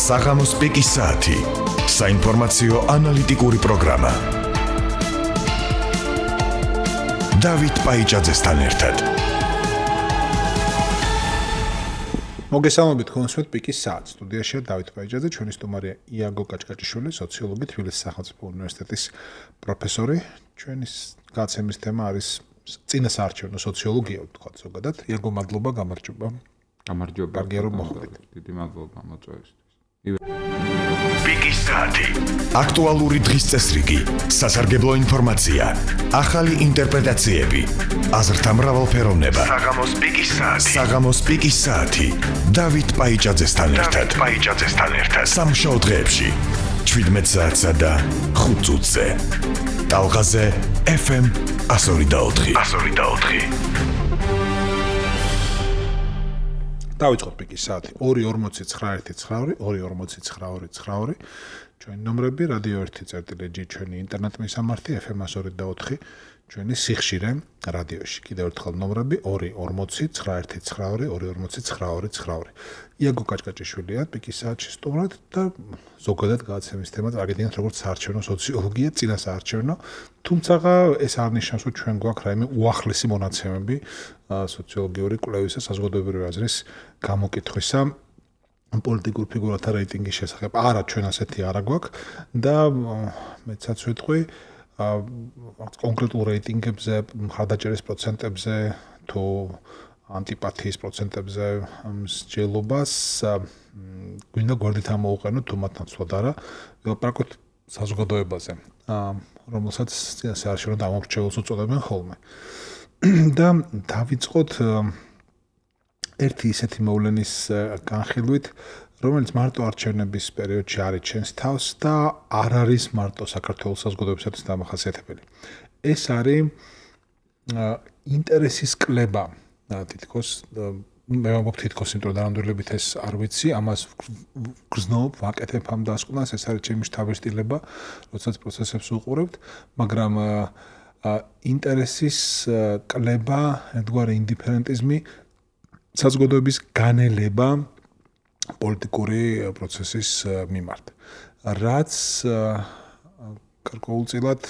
საღამოს პიკის საათი. საინფორმაციო ანალიტიკური პროგრამა. დავით პაიჭაძესთან ერთად. მოგესალმებით კონსვეთ პიკის საათს. სტუდიაშია დავით პაიჭაძე, ჩვენი სტუმარია იაგო კაჭკაჭიშვილი, სოციოლოგი, თბილისის სახელმწიფო უნივერსიტეტის პროფესორი. ჩვენი გაცემის თემა არის წინასაარჩევნო სოციოლოგია, ვთქვათ ზოგადად. იაგო, მადლობა, გამარჯობა. გამარჯობა. კარგია რომ მოხვდით. დიდი მადლობა მოწვევისთვის. პიკის საათი. აქტუალური დღის წესრიგი, სასარგებლო ინფორმაცია, ახალი ინტერპრეტაციები, აზრთა მრავალფეროვნება. საღამოს პიკის საათი. საღამოს პიკის საათი. დავით პაიჭაძესთან ერთად. სამშაბათ დღეებში 17 საათსა და 5 წუთზე. ტალღაზე FM 102.4. დავიწყოთ პიკის საათი. 2:49 2:49 ჩვენი ნომრები რადიო 1.G ჩვენი ინტერნეტ მისამართი FM 102.4 ჩვენი სიხშირე რადიოში. კიდევ ერთხელ ნომრები 2:49 2:49 იაგო კაჭკაჭიშვილია პიკის საათში სტუმრად და ზოგადად გადაცემის თემა აგედინათ როგორც საარჩევნო სოციოლოგია, წინასაარჩევნო. თუმცა ეს არ ნიშნავს, რომ ჩვენ გვაქვს რაიმე უახლესი მონაცემები სოციოლოგიური კვლევისა, საზოგადოებრივი აზრის გამოკითხვისა პოლიტიკურ ფიგურათა რეიტინგის შესახებ. არა, ჩვენ ასეთი არა გვაქვს და მეცაც ვიტყვი კონკრეტულ რეიტინგებზე, მხარდაჭერის პროცენტებზე თუ ანტიპათიის პროცენტებზე მსჯელობას გვინდა გვერდით ამოვუყენოთ თუ მათ ნაცვლად არა, ვილაპარაკოთ საზოგადოებაზე, რომელსაც წინასაარჩევნო დამორჩეულს უწოდებენ ხოლმე. და დავიწყოთ ერთი ისეთი მოვლენის განხილვით, რომელიც მარტო არჩევნების პერიოდში არ იჩენს თავს და არ არის მარტო საქართველოს საზოგადოებისათვის დამახასიათებელი. ეს არის ინტერესის კლება, თითქოს მე ვამბობ თითქოს, იმიტომ რომ დანამდვილებით ეს არ ვიცი, ამას გრძნობ, ვაკეთებ ამ დასკვნას, ეს არის ჩემი შთაბეჭდილება, როდესაც პროცესებს უყურებთ, მაგრამ ინტერესის კლება, ერთგვარი ინდიფერენტიზმი, საზოგადოების განელება პოლიტიკური პროცესის მიმართ, რაც გარკვეულწილად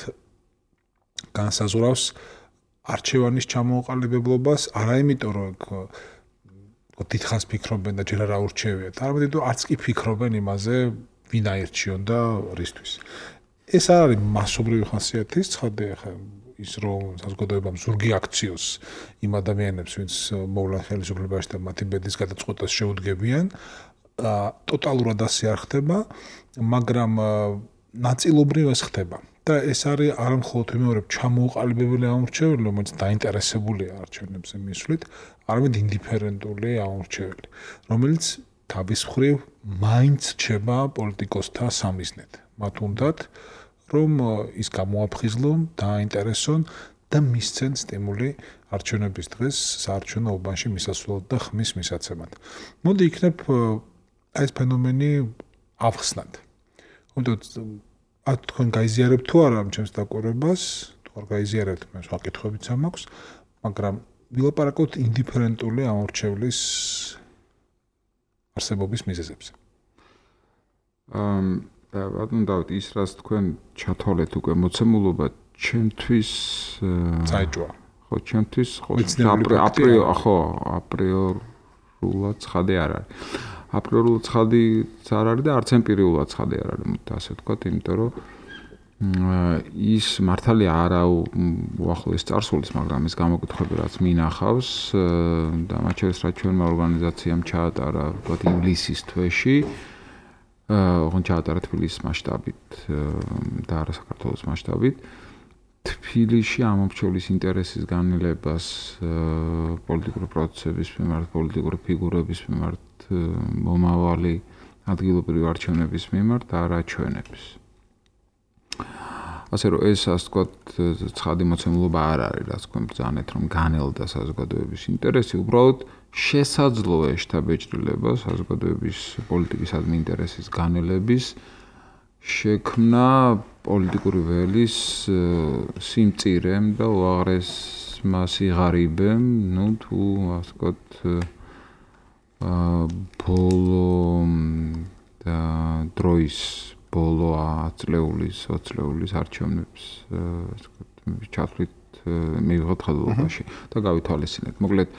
განსაზღვრავს არჩევანის ჩამოყალიბებლობას, არა იმიტომ, რომ დიდხანს ფიქრობენ და ჯერ არ აურჩევიათ, არამედ იმიტომ, არც კი ფიქრობენ იმაზე, ვინ აირჩიონ და რისთვის. ეს არ არის მასობრივი ხასიათის ცხადია, ის რომ საზოგადოებამ ზურგი აქციოს იმ ადამიანებს, ვინც მოვლენ ხელისუფლებაში და მათი ბედის გადაწყვეტას შეუდგებიან, ტოტალურად ასე არ ხდება, მაგრამ ნაწილობრივ ეს ხდება. და ეს არის არა მხოლოდ ვიმეორებ ჩამოუყალიბებელი ამორჩეველი, რომელიც დაინტერესებულია არჩევნებზე მისვლით, არამედ ინდიფერენტული ამორჩეველი, რომელიც თავის მხრივ მაინც რჩება პოლიტიკოსთა სამიზნედ. მათ უნდათ რომ ის გამოაფხიზლონ, დააინტერესონ და მისცენ სტიმული არჩევნების დღეს საარჩევნო უბანში მისასვლელად და ხმის მისაცემად. მოდი იქნებ ეს ფენომენი ავხსნათ. თქვენ გაიზიარებთ თუ არა ჩემს დაკვირვებას, თუ არ გაიზიარებთ, მე სხვა კითხვებიც მაქვს, მაგრამ ვილაპარაკოთ ინდიფერენტული ამორჩევლის არსებობის მიზეზებზე. ბატონო დავით, ის რაც თქვენ ჩათვალეთ უკვე მოცემულობა, ჩემთვის წაიჭვა. ხო, ჩემთვის აპრიორულად ცხადი არ არის. აპრიორულად ცხადიც არ არის და არც ემპირიულად ცხადი არ არის, ასე ვთქვათ, იმიტომ რომ ის მართალია არა უახლოეს წარსულის, მაგრამ ეს გამოკითხვები რაც მინახავს და მათ შორის რაც ჩვენმა ორგანიზაციამ ჩაატარა, ვთქვათ, ივლისის თვეში, ჩაატარა თბილისის მასშტაბით და არა საქართველოს მასშტაბით, თბილისში ამორჩევლის ინტერესის განილებას პოლიტიკური პროცესების მიმართ, პოლიტიკური ფიგურების მიმართ, მომავალი ადგილობრივი არჩევნების მიმართ არ აჩვენებს. ასე რომ ეს ასე ვთქვათ ცხადი მოცემულობა არ არის, რაც თქვენ ბრძანეთ, რომ განელდა საზოგადოების ინტერესი, უბრალოდ შესაძლოა შთაბეჭდილება საზოგადოების პოლიტიკისადმი ინტერესის განელების შექმნა პოლიტიკური ველის სიმწირემ და უაღრესმა სიღარიბემ, თუ ასე ვთქვათ ბოლო დროის ბოლო 10 წლეულის 20 წლეულის არჩევნებს ასე ვთქვათ ჩათვლით მივიღოთ ხელობაში და გავითვალისწინეთ. მოკლედ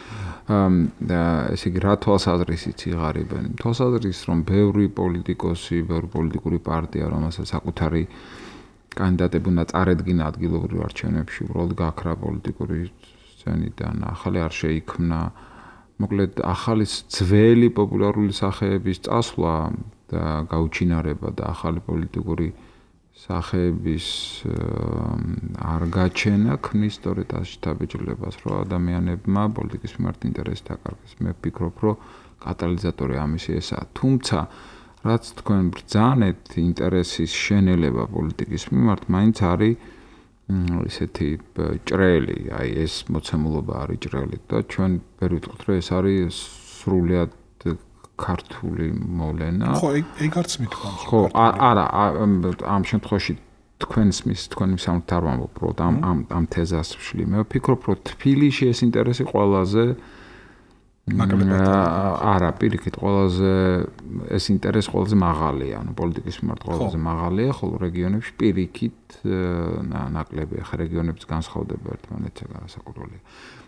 ესე იგი რა თვალსაზრისით იღარებენ? თვალსაზრისით რომ ბევრი პოლიტიკოსი, ბევრი პოლიტიკური პარტია რომელსაც საკუთარი კანდიდატები უნდა წარედგინა ადგილობრივ არჩევნებში, უბრალოდ გაქრა პოლიტიკური სცენიდან, ახალი არ შეიქმნა. მოკლედ ახალი ძველი პოპულარული სახეების წასვლა და გაუჩინარება და ახალი პოლიტიკური სახეების არ გაჩენა ქმნის სწორედ ასეთ დაბეჭდილებას, რომ ადამიანებმა პოლიტიკის მიმართ ინტერესი დაკარგეს. მე ვფიქრობ, რომ კატალიზატორი ამისი ესაა. თუმცა რაც თქვენ ბრძანეთ ინტერესის შენელება პოლიტიკის მიმართ, მაინც არის ისეთი ჭრელი, აი ეს მოცემულობა არის ჭრელი და ჩვენ ვერ ვიტყვით, რომ ეს არის სრულიად ქართული მოვლენა. ხო, ეგ არც მithქვამს. ხო, არა, ამ შემთხვევაში თქვენს მისამთ არ ვამბობ, რომ ამ თეზას ვშლი. მე ვფიქრობ, რომ თბილისში ეს ინტერესი ყველაზე არა, პირიქით, ყველაზე ეს ინტერესი ყველაზე მაღალია, ანუ პოლიტიკის მიმართ ყველაზე მაღალია, ხოლო რეგიონებში პირიქით ნაკლები, ხა რეგიონების განსხვავდება ერთმანეთთან განსაკუთრებულია.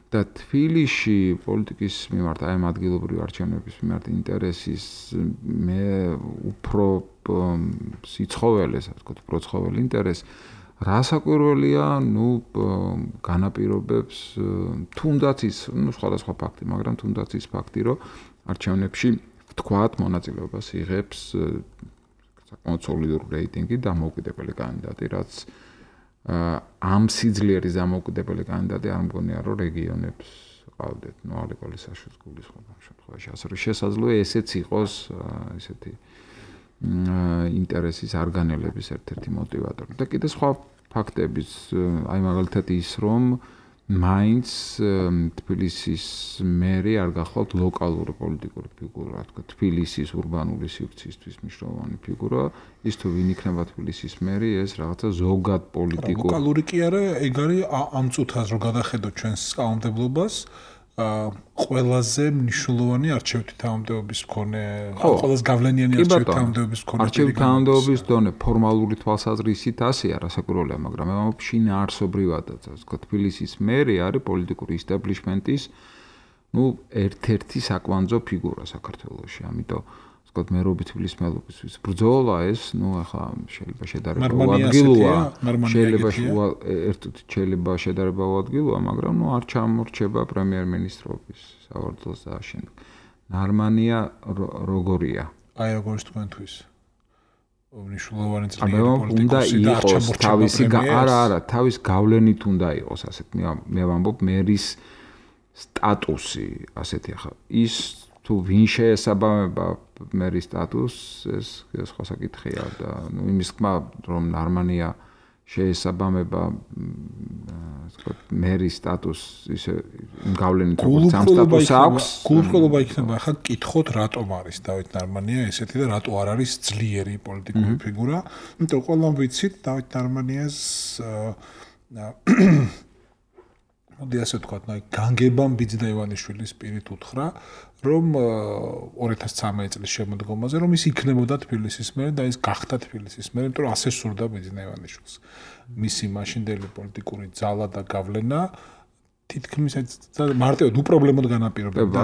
და თბილისში პოლიტიკის მიმართ აი ამ ადგილობრივი არჩევნების მიმართ ინტერესის მე უფრო სიცხოველეს, ასე ვთქვათ, უფრო ცხოველი ინტერესი რასაკვირველია, განაპირობებს თუნდაც ის, სხვადასხვა ფაქტი, მაგრამ თუნდაც ის ფაქტი, რომ არჩევნებში ვთქვათ, მონაწილეობას იღებს საკმაოდ სოლიდური რეიტინგი დამოუკიდებელი კანდიდატი, რაც ამ სიძლიერის დამოუკიდებელი კანდიდატი არ მგონია, რომ რეგიონებს ყავდეთ, ალეკოლის საშუალო სკოლის ხომ შემთხვევაში, ასე რომ შესაძლოა ესეც იყოს ესეთი ინტერესის არ განელების ერთ-ერთი მოტივატორი. და კიდე სხვა ფაქტებიც, აი მაგალითად ის, რომ მაინც თბილისის მერი არ გახლავთ ლოკალური პოლიტიკური ფიგურა, რა თქმა უნდა, თბილისის ურბანული სივრცისთვის მნიშვნელოვანი ფიგურა, ის თუ ვინ იქნება თბილისის მერი, ეს რაღაცა ზოგად პოლიტიკურ ლოკალური კი არა, ეგ არის ამ წუთას რო გადახედოთ ჩვენს კანონმდებლობას, ყველაზე მნიშვნელოვანი არჩევითი თანამდებობის მქონე, ყველაზე გავლენიანი არჩევითი თანამდებობის მქონე. არჩევითი თანამდებობის დონე ფორმალური თვალსაზრისით ასეა, რასაკვირველია, მაგრამ მე ვამბობ შინაარსობრივადაც, ასე ვთქვათ, თბილისის მერი არის პოლიტიკური ისტაბლიშმენტის, ერთ-ერთი საკვანძო ფიგურა საქართველოში, ამიტომ ვთქვათ, მერობის თბილისის მერობის ბრძოლა ეს, ახლა შეიძლება შედარება უადგილოა, შეიძლება შედარება უადგილოა, მაგრამ არ ჩამორჩება პრემიერ-მინისტრობის სავარძელს და შემდეგ. ნარმანია როგორია? აი როგორც თქვენთვის. მნიშვნელოვანი ძლიერი პოლიტიკოსი და ჩამორჩება არა, თავის გავლენით უნდა იყოს, ასეთ მე ვამბობ, მერის სტატუსი, ასეთი ახლა ის თუ ვინ შეესაბამება მერის სტატუსს, ეს სხვა საკითხია და იმის თქმა, რომ ნარმანია შეესაბამება ვთქვათ, მერის სტატუსს ისე გავლენით როგორც ამ სტატუსს აქვს. გულუბრყოლობა იქნება, ახლა გკითხოთ, რატომ არის დავით ნარმანია ესეთი და რატო არ არის ძლიერი პოლიტიკური ფიგურა. იმიტომ ყველამ ვიცით დავით ნარმანიას მოდი ასე ვთქვათ, განგებამ ბიძინა ივანიშვილის პირით უთხრა, რომ 2013 წლის შემოდგომაზე, რომ ის იქნებოდა თბილისის მერი და ის გახდა თბილისის მერი, იმიტომ რომ ასე სურდა ბიძინა ივანიშვილს. მისი მაშინდელი პოლიტიკური ძალა და გავლენა თითქმის მარტივად უპრობლემოდ განაპირობებდა.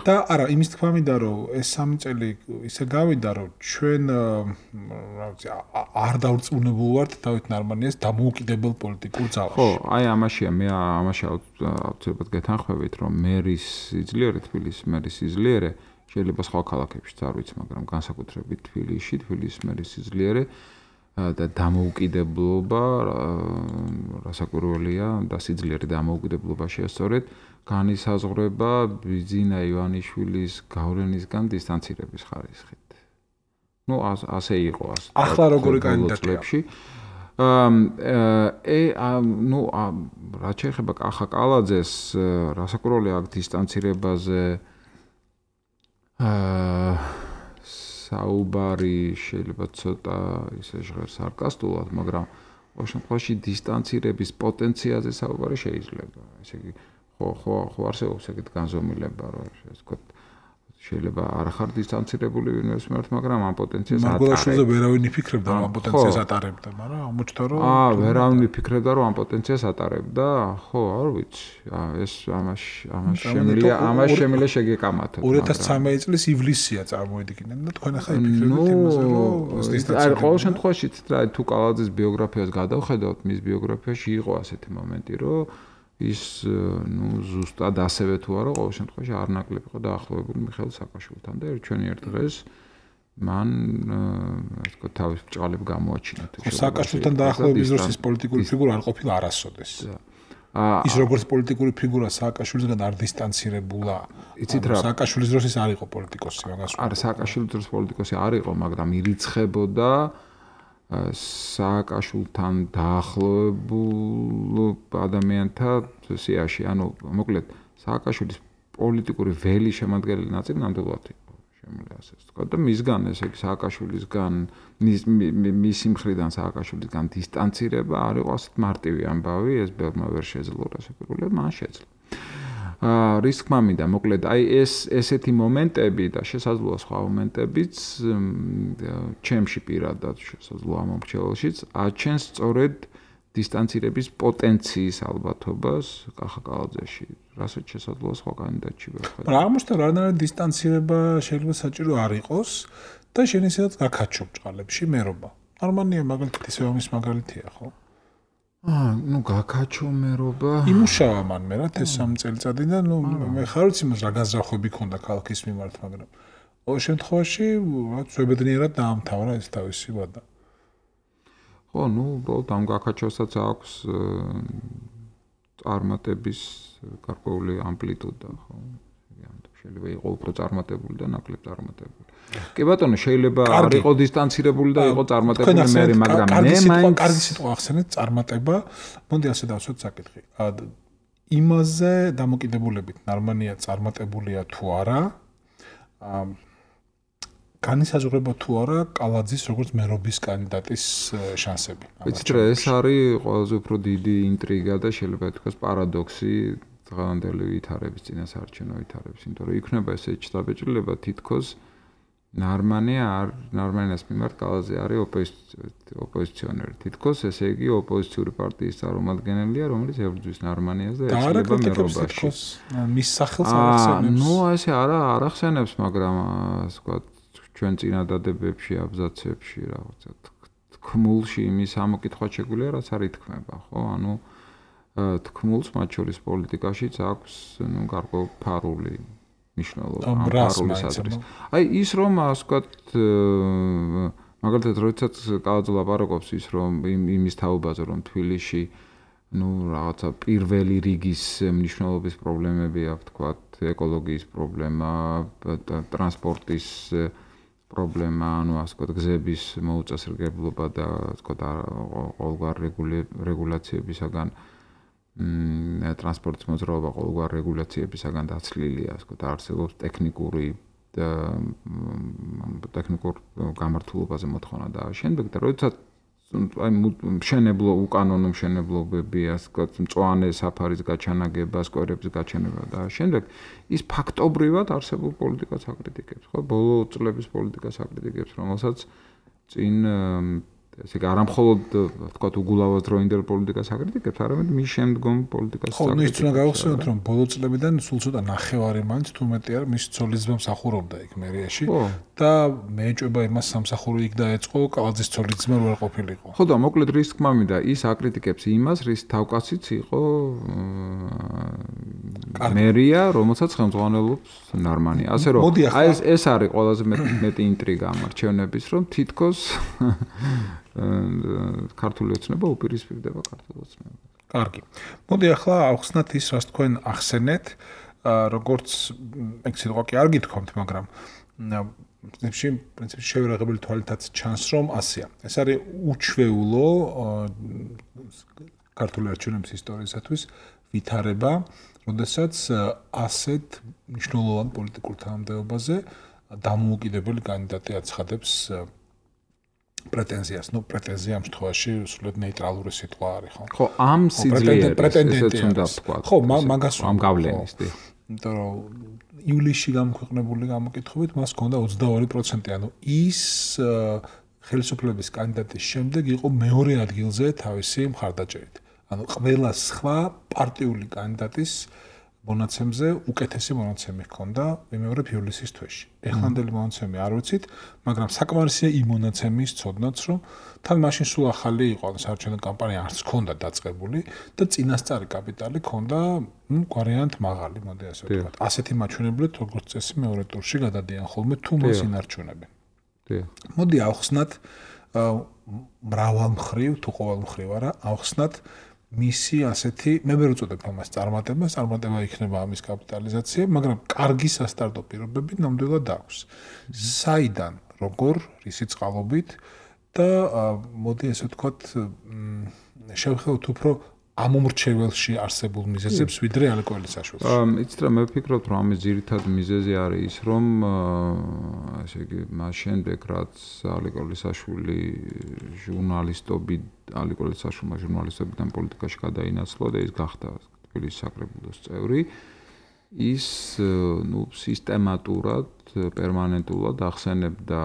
და არა, იმის თქმა მინდა, რომ ეს 3 წელი ისე გავიდა, რომ ჩვენ არ დავრწმუნებულ ვართ დავით ნარმანიას დამოუკიდებელ პოლიტიკურ ძალაში. ხო, აი ამაშია, მე ამაში აუცილებლად გეთანხმებით, რომ მერის სიძლიერე, თბილისის მერის სიძლიერე შეიძლება სხვა ქალაქებშიც არ ვიცი, მაგრამ განსაკუთრებით თბილისის მერის სიძლიერე და დამოუკიდებლობა რასაკვირველია და სიძლიერე დამოუკიდებლობა შეასწორეთ განისაზღვრება ბიძინა ივანიშვილის გავლენისგან დისტანცირების ხარისხით. ასე იყო ასე. ახლა როგორი კანდიდატია? რაც შეეხება კახა კალაძეს, რასაკვირველია აქ დისტანცირებაზე საუბარი შეიძლება ცოტა ისე ჟღერს სარკასტულად, მაგრამ ყოველ შემთხვევაში დისტანცირების პოტენციალზე საუბარი შეიძლება. ესე იგი, ხო არსებობს ეგეთ განზომილება, რომ ესე ვთქვათ, შეიძლება არ ხარ დისტანცირებული ვინმეს მიმართ, მაგრამ ამ პოტენციას ატარებ. მარგველაშვილზე ვერავინ იფიქრებდა ამ პოტენციას ატარებდა, მაგრამ აღმოჩნდა რომ ვერავინ იფიქრებდა რომ ამ პოტენციას ატარებდა, ხო, არ ვიცი. ეს ამას შემიძლია შეგეკამათოთ. 2013 წლის ივლისია წარმოედგინეთ და თქვენ ახლა იფიქრებთ იმაზე რომ დისტანცირებული. ყოველ შემთხვევაში თუ კალაძის ბიოგრაფიას გადავხედავთ, მის ბიოგრაფიაში იყო ასეთი მომენტი, რომ ის ზუსტად ასევე თუ არა, ყოველ შემთხვევაში არ ნაკლები იყო დაახლოებული მიხეილ სააკაშვილთან და ჩვენი ერთ დღეს მან ასე ვთქვათ თავის ბჭყალები გამოაჩინა. სააკაშვილთან დაახლოების დროს ის პოლიტიკური ფიგურა არ ყოფილა არასოდეს. ის როგორც პოლიტიკური ფიგურა სააკაშვილისგან არ დისტანცირებულა. იცით რა, სააკაშვილის დროს ის არ იყო პოლიტიკოსი, მაგას. არა, სააკაშვილის დროს პოლიტიკოსი არ იყო, მაგრამ ირიცხებოდა სააკაშვილთან დაახლოებულ ადამიანთა სიაში, ანუ მოკლედ სააკაშვილის პოლიტიკური ველი შემადგენელი ნაწილი ნამდვილად იყო, შემიძლია ასე ვთქვათ და მისგან ესე იგი სააკაშვილისგან მისი მხრიდან სააკაშვილისგან დისტანცირება არ იყო ასეთ მარტივი ამბავი, ეს ბევრმა ვერ შეძლო რასაკვირველია, მან შეძლო. რის თქმა მინდა, მოკლედ აი ესეთი მომენტები და შესაძლოა სხვა მომენტებიც ჩემში პირადად შესაძლოა მომრჩეველშიც აჩენს სწორედ დისტანცირების პოტენციის ალბათობას კახა კალაძეში, რასაც შესაძლოა სხვა კანდიდატში ვერ ხედავ. მაგრამ აღმოჩნდა რანაირად დისტანცირება შეიძლება საჭირო არ იყოს და შენ ისედაც გაქაჩო ბჭყალებში მერობა. ნორმალია მაგალითად ისე ამის მაგალითია, ხო? გაქაჩო მერობა. იმუშავა მან მე რა ეს 3 წელიწადი და მე ხარ ვიცი მას რა განზრახვები ქონდა ქალაქის მიმართ, მაგრამ ყოველ შემთხვევაში რაც ზებედნიერად დაამთავრა ეს თავისი ვადა. ხო, უბრალოდ ამ გაქაჩოსაც აქვს წარმატების გარკვეული ამპლიტუდა, ხო? შეიძლება იყოს უფრო წარმატებული და ნაკლებ წარმატებული. კი ბატონო, შეიძლება არ იყოს დისტანცირებული და იყოს წარმატებული მე, მაგრამ მე მაინც კარგი სიტყვა ახსენეთ, წარმატება. მოდი ასე დავსვათ საკითხი. იმაზე დამოკიდებულებით ნორმალია წარმატებულია თუ არა? განისაზღვრება თუ არა კალაძის როგორც მერობის კანდიდატის შანსები. ვიცით რა, ეს არის ყველაზე უფრო დიდი ინტრიგა და შეიძლება ითქვას პარადოქსი დღევანდელი ვითარების წინასაარჩევნო ვითარების, იმიტომ რომ იქნება ესეთი შთაბეჭდილება თითქოს ნარმანიას მიმართ კალაძე არის ოპოზიციონერი. თითქოს ესე იგი ოპოზიციური პარტიის წარმომადგენელია, რომელიც ებრძვის ნარმანიას და ეცლება მერობაში. მის სახელს არ ახსენებს. ესე არ ახსენებს, მაგრამ ასე ვთქვათ ჩვენ წინადადებებში, აბზაცებში რაღაცა თქმულში იმის ამოკითხვა შეგვიძლია, რაც არ ითქმება, ხო? ანუ თქმულს მათ შორის პოლიტიკაშიც აქვს გარკვეული ფარული მნიშვნელობა ამ ფარულის აზრის. აი ის რომ ასე ვთქვათ მაგალითად როდესაც კალაძე ლაპარაკობს ის რომ იმის თაობაზე რომ თბილისში რაღაცა პირველი რიგის მნიშვნელობის პრობლემები აქვს, ვთქვათ ეკოლოგიის პრობლემა, ტრანსპორტის პრობლემა, ასე ვთქვათ გზების მოუწესრიგებლობა და ასე ვთქვათ ყოველგვარ რეგულაციებისაგან ტრანსპორტის მოძრაობა ყოველგვარ რეგულაციებისაგან დაცლილია, ასე ვთქვათ, არსებობს ტექნიკურ გამართულობაზე მოთხოვნა და შემდეგ და როდესაც მშენებლო უკანონო მშენებლობები, ასე ვთქვათ, მწვანე საფარის გაჩანაგება, სკვერების გაჩენება და შემდეგ ის ფაქტობრივად არსებულ პოლიტიკას აკრიტიკებს, ხო? ბოლო წლების პოლიტიკას აკრიტიკებს, რომელსაც წინ ესე იგი არამხოლოდ ვთქვათ უგულავაზდროინდელ პოლიტიკას აკრიტიკებს, არამედ მის შემდგომ პოლიტიკას აკრიტიკებს. ხო, ის უნდა გავხსენოთ, რომ ბოლო წლებიდან სულ ცოტა ნახევარი მაინც თუ მეტი არ მის ცოლისძმა მსახურობდა იქ მერიაში და მეეჭვება იმას სამსახური იქ დაეწყო, კალაძის ცოლისძმა ვერ ყოფილიყო. ხო და მოკლედ რის თქმა მინდა, ის აკრიტიკებს იმას, რის თავკაციც იყო მერია, რომელსაც ხელმძღვანელობს ნარმანია. ასე რომ აი ეს არის ყველაზე მეტი ინტრიგა ამ არჩევნების, რომ თითქოს ქართული ოცნება უპირისპირდება ქართულ ოცნებას. კარგი. მოდი ახლა ავხსნათ ის, რაც თქვენ ახსენეთ, როგორც ეგ სიტყვა კი არ გითქვამთ, მაგრამ პრინციპში შევერაღებელი თვალითაც ჩანს, რომ ასეა. ეს არის უჩვეულო ქართული არჩევნების ისტორიისათვის ვითარება, როდესაც ასეთ მნიშვნელოვან პოლიტიკურ თანამდებობაზე დამოუკიდებელი კანდიდატი აცხადებს პრეტენზიას. პრეტენზია ამ შემთხვევაში სულად ნეიტრალური სიტყვა არის, ხო? ხო, ამ სიძლიერეს ესეც უნდა ვთქვა. ხო, მაგას ამ გავლენის, იმიტომ რომ ივლისში გამოქვეყნებული გამოკითხებით მას ჰქონდა 22%, ანუ ის ხელისუფლების კანდიდატის შემდეგ იყო მეორე ადგილზე თავისი მხარდაჭერით. ანუ ყველა სხვა პარტიული კანდიდატის მონაცემზე უკეთესი მონაცემი ჰქონდა ვიმეორებ ივლისის თვეში. ეხლანდელი მონაცემი არ ვიცით, მაგრამ საკმარისია იმ მონაცემის ცოდნაც, რომ თან მაშინ სულ ახალი იყო, ანუ საარჩევნო კამპანია არც ჰქონდა დაწყებული და წინასწარი კაპიტალი ჰქონდა, გვარიანტ მაღალი, მოდი ასე ვთქვათ. ასეთი მაჩვენებლით, როგორც წესი, მეორე ტურში გადადიან ხოლმე თუ მას ინარჩუნებენ. მოდი ავხსნათ მრავალ მხრივ, თუ ყოველ მხრივ არა, ავხსნათ მისი ასეთი, მე ვერ უწოდებ ამას წარმატება იქნება ამის კაპიტალიზაცია, მაგრამ კარგი სასტარტო პირობები ნამდვილად აქვს. საიდან, როგორ, რისი წყალობით და მოდი ასე ვთქვათ, შევხედოთ უფრო ამომრჩეველში არსებულ მიზეზებს, ვიდრე ალე კოალიციაში. იცით რა, მე ვფიქრობ, რომ ამის ძირითადი მიზეზი არის ის, რომ ესე იგი, მას შემდეგ რაც ალე კოალიცაშვილი ჟურნალისტობიდან პოლიტიკაში გადაინაცვლა და ის გახდა თბილისის საკრებულოს წევრი, ის სისტემატურად, პერმანენტულად ახსენებდა